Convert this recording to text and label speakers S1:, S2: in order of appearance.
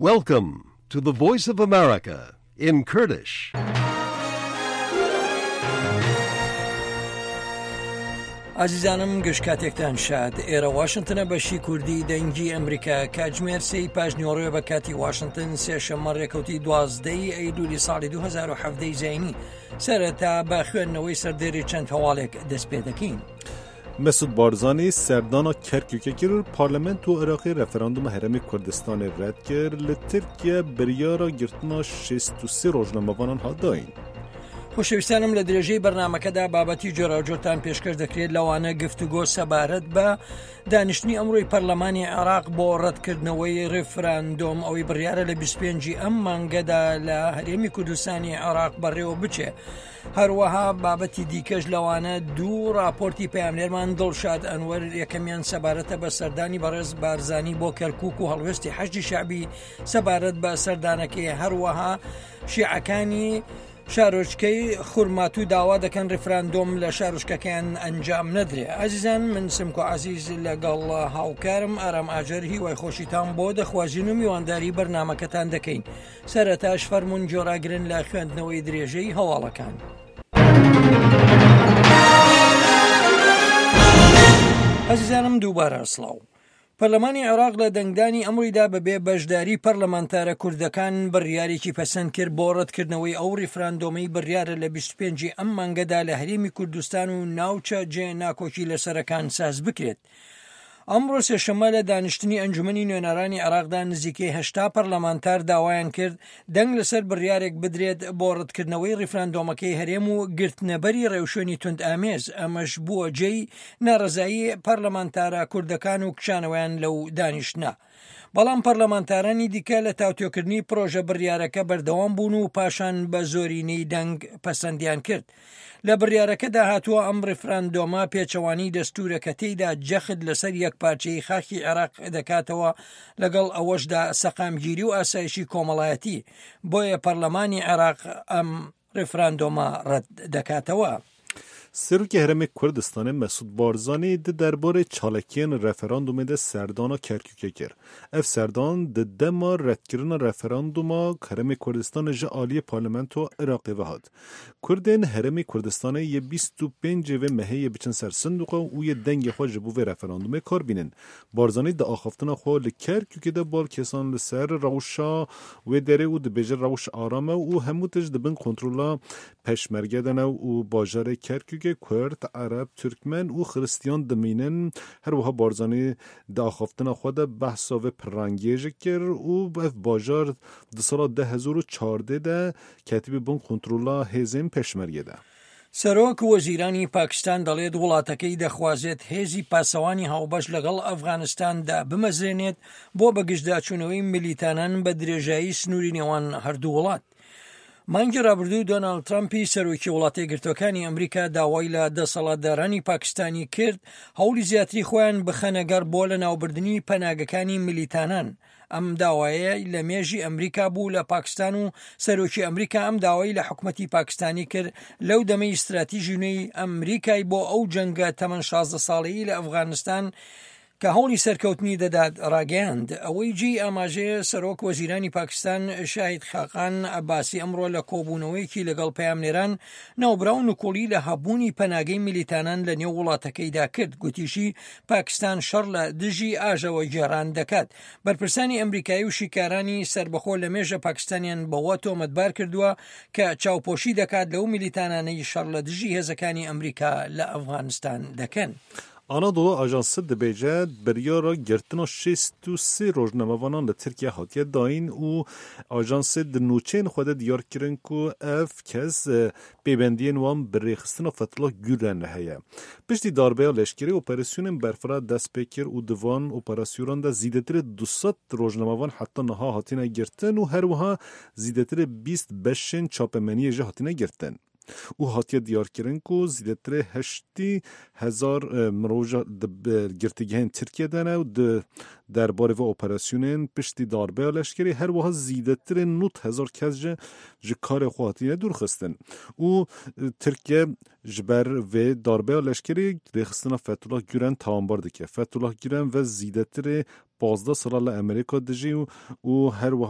S1: Welcome to the Voice of America in Kurdish.
S2: ئازیزانم گشت کاتێکتان شاد ئێرە واشنتنە بەشی کوردی دەنگی ئەمریکا کاتژمێر سێی پاش نیوەڕۆیە بە کاتی واشنتن سێشەممە ڕێکەوتی دوازدەی ئەیلولی ساڵی 2017 زینی سەرەتا بە خوێندنەوەی سەردێری چەند هەواڵێک دەست پێ دەکەین.
S3: Mesûd Barzanî serdana Kerkûkê kir û Parlamento Iraqê referanduma Herêmê Kurdistanê red kir, li Tirkiye biryara girtina 63 rojnamevanan hat dayîn.
S2: خۆشەویستانم لە درێژەی بەرنامەکەدا بابەتی جۆراوجۆرتان پێشکەش دەکرێت لەوانە گفتوگۆ سەبارەت بە دانیشتنی ئەمڕۆی پەرلەمانی عێراق بۆ ڕەتکردنەوەی ڕێفراندۆم ئەوەی بڕیارە لە 25 ئەم مانگەدا لە هەرێمی کوردستانی عێراق بەڕێوە بچێ. هەروەها بابەتی دیکەش لەوانە دوو راپۆرتی پەیامنێرمان دڵشاد ئەنوەر یەکەمیان سەبارەتە بە سەردانی بەڕێز بارزانی بۆ کەرکک و هەڵوێستی حەشدی شەعبی سەبارەت بە سەردانەکەی هەروەها شیعەکانی شارۆچکەی خورماتوو داوا دەکەن ڕیفراندۆم لە شارۆچکەکەیان ئەنجام نەدرێ ئازیزان من سمکۆ عزیز لەگەڵ هاوکارم ئارام ئاجەر هیوای خۆشیتان بۆ دەخوازین و میوانداری بەرنمەکەتان دەکەین سەرەتاش فەرموون گوێڕاگرن لە خوێندنەوەی درێژەی هەواڵەکان. ئازیزانم دووبارە سڵاو. پەرلەمانی عێراق لە دەنگدانی ئەمڕۆیدا بەبێ بەشداری پەرلەمانتارە کوردەکان بڕیارێکی پەسەند کرد بۆ ڕەتکردنەوەی ئەو ڕیفراندۆمەی بڕیارە لە 25 ئەم مانگەدا لە هەرێمی کوردستان و ناوچە جێ ناکۆکی لەسەرەکان ساز بکرێت. ئەمڕۆ سێشەممە لە دانیشتنی ئەنجومەنی نوێنەرانی عێراقدا نزیکەی 80 پەرلەمانتار داوایان کرد دەنگ لەسەر بڕیارێک بدرێت بۆ ڕەتکردنەوەی ڕیفراندۆمەکەی هەرێم و گرتنەبەری ڕێوشوێنی توندئامێز، ئەمەش بووە جێی ناڕەزایی پەرلەمانتارە کوردەکان و کشانەوەیان لەو دانیشتنە. بەڵام پەرلەمانتارانی دیکە لە تاوتوێکردنی پرۆژە بڕیارەکە بەردەوام بوون و پاشان بە زۆرینەی دەنگ پەسەندیان کرد. لە بڕیارەکەدا هاتووە ئەم ڕیفراندۆمە پێچەوانی دەستوورە کە تێیدا جەخت لەسەر یەکپارچەیی خاکی عێراق دەکاتەوە لەگەڵ ئەوەشدا سەقامگیری و ئاسایشی کۆمەڵایەتی، بۆیە پەرلەمانی عێراق ئەم ڕیفراندۆمە ڕەت دەکاتەوە.
S3: Serokê Herêmê Kurdistanê Mesûd Barzanî di derbarê çalakiyên referandûmê de serdana Kerkûkê kir. Ev serdan di dema redkirina referandûma Herêmê Kurdistanê ji aliyê Parlamentoya Iraqê ve hat. Kurdên Herêmê Kurdistanê yê 25 vê mehê yê biçin ser sindoqa û yê dengê xwe ji bo vê referandûmê kar bînin. Barzanî di axaftina xwe li Kerkûkê de bal kêsan li ser rewşa wê derê û dibêje rewş aram e û hemû tişt di bin kontrola Peşmerge de ne û bajarê Kerkûkê Kurd, Ereb, Tirkmen û Xiristiyan dimînin. Her wiha Barzanî di axaftina xwe de behsa vê pirrengiyê jî kir û ev bajar di sala 2014 de ketibû bin kontrola hêzên Peşmergê de.
S2: سەرۆک وەزیرانی پاکستان دەڵێت وڵاتەکەی دەخوازێت هێزی پاسەوانی هاوبەش لەگەڵ ئەفغانستاندا بمەزرێنێت بۆ بەگژداچوونەوەی ملیتانان بە درێژایی سنووری نێوان هەردوو وڵات. مانگی رابردوو دۆناڵد ترەمپی سەرۆکی وڵاتەیەکگرتووەکانی ئەمریکا داوای لە دەسەڵاتدارانی پاکستانی کرد هەوڵی زیاتری خۆیان بخەنەگەڕ بۆ لەناوبردنی پەناگەکانی ملیتانان. ئەم داوایە لە مێژی ئەمریکا بوو لە پاکستان و سەرۆکی ئەمریکا ئەم داوای لە حکومەتی پاکستانی کرد لەو دەمەی ستراتیژی نوێی ئەمریکای بۆ ئەو جەنگە تەمەن 16 ساڵەی لە ئەفغانستان کە هەوڵی سەرکەوتنی دەدات ڕاگەیاند. ئەوەی جێی ئاماژەیە سەرۆک وەزیرانی پاکستان شاهید خاقان عەباسی ئەمڕۆ لە کۆبوونەوەیەکی لەگەڵ پەیامنێران ناوبراو نکوڵی لە هەبوونی پەناگەی میلیتانان لە نێو وڵاتەکەیدا کرد گوتیشی پاکستان شەڕ لە دژی ئاژەوەگێڕان دەکات. بەرپرسانی ئەمریکایی و شیکارانی سەربەخۆ لە مێژە پاکستانیان بەوە تۆمەتبار کردووە کە چاوپۆشی دەکات لەو میلیتانانەی شەڕ لە دژی هێزەکانی ئەمریکا لە ئەفغانستان دەکەن.
S3: Anadolu Ajansı dibêje biryara girtina 63 rojnamevanan li Tirkiye hatiye dayîn û ajansê di nûçeyên xwe de diyar kirin ku ev kes pêbendiyên wan bi rêxistina Fethullah Gülen re heye. Piştî darbeya leşkerî operasyonên berfireh dest pê kir û di van operasyonan de zêdetirê 200 rojnamevan heta niha hatine girtin û her wiha zêdetirê 20 beşên çapemeniyê jî hatine girtin. Û hatiye diyarkirin ku zêdetirê 80 hezar mirov di girtîgehên Tirkiye de ne û di derbarê vê operasyonên piştî darbeya leşkerî her wiha zêdetirê 90 hezar kes jî ji karê xwe hatine dûrxistin. Û Tirkiye ji ber vê darbeya leşkerî rêxistina Fethullah Gülen tawanbar dike. Fethullah Gülen ve zêdetirê. 15 ساڵە لە ئەمریکا دژی و û her wiha.